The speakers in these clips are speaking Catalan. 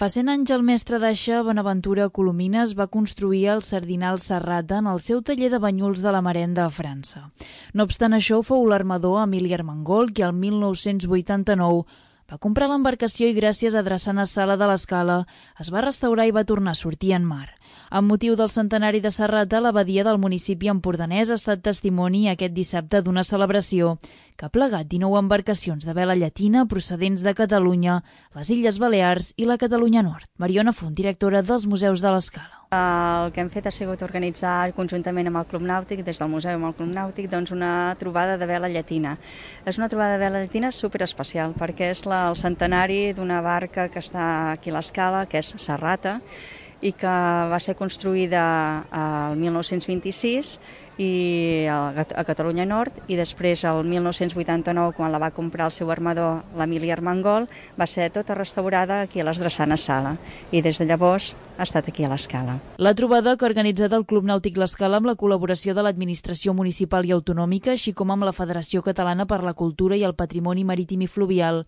Fa 100 anys el mestre d'aixa Bonaventura Colomines va construir el Sardinal Serrata en el seu taller de banyuls de la Marenda a França. No obstant això, fou l'armador Emili Armengol qui el 1989 va comprar l'embarcació i gràcies a Drassana Sala de l'Escala es va restaurar i va tornar a sortir en mar. Amb motiu del centenari de Serrata, l'abadia del municipi empordanès ha estat testimoni aquest dissabte d'una celebració que ha plegat 19 embarcacions de vela llatina procedents de Catalunya, les Illes Balears i la Catalunya Nord. Mariona Font, directora dels Museus de l'Escala. El que hem fet ha sigut organitzar conjuntament amb el Club Nàutic, des del museu amb el Club Nàutic, doncs una trobada de vela llatina. És una trobada de vela llatina superespecial perquè és el centenari d'una barca que està aquí a l'Escala, que és Serrata, i que va ser construïda el 1926 a Catalunya Nord i després el 1989, quan la va comprar el seu armador, l'Emili Armengol, va ser tota restaurada aquí a les Drassanes Sala i des de llavors ha estat aquí a l'Escala. La trobada que ha organitzat el Club Nàutic l'Escala amb la col·laboració de l'Administració Municipal i Autonòmica, així com amb la Federació Catalana per la Cultura i el Patrimoni Marítim i Fluvial,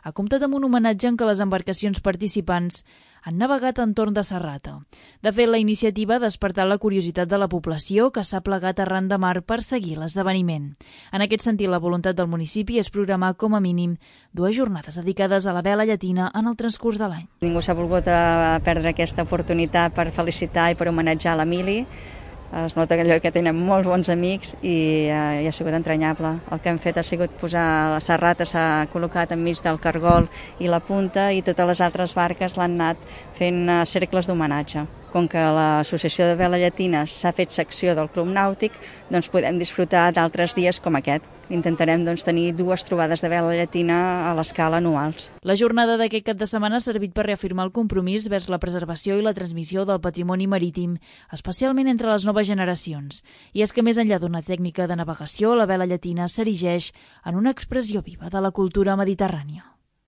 ha comptat amb un homenatge en què les embarcacions participants han navegat entorn de Serrata. De fet, la iniciativa ha despertat la curiositat de la població que s'ha plegat arran de mar per seguir l'esdeveniment. En aquest sentit, la voluntat del municipi és programar com a mínim 2 jornades dedicades a la vela llatina en el transcurs de l'any. Ningú s'ha volgut perdre aquesta oportunitat per felicitar i per homenatjar l'Emili. Es nota que tenen molts bons amics i ha sigut entranyable. El que hem fet ha sigut posar la Serrata, s'ha col·locat enmig del cargol i la punta i totes les altres barques l'han anat fent cercles d'homenatge. Com que l'Associació de Vela Llatina s'ha fet secció del Club Nàutic, doncs podem disfrutar d'altres dies com aquest. Intentarem tenir 2 trobades de vela llatina a l'Escala anuals. La jornada d'aquest cap de setmana ha servit per reafirmar el compromís vers la preservació i la transmissió del patrimoni marítim, especialment entre les noves generacions. I és que més enllà d'una tècnica de navegació, la vela llatina s'erigeix en una expressió viva de la cultura mediterrània.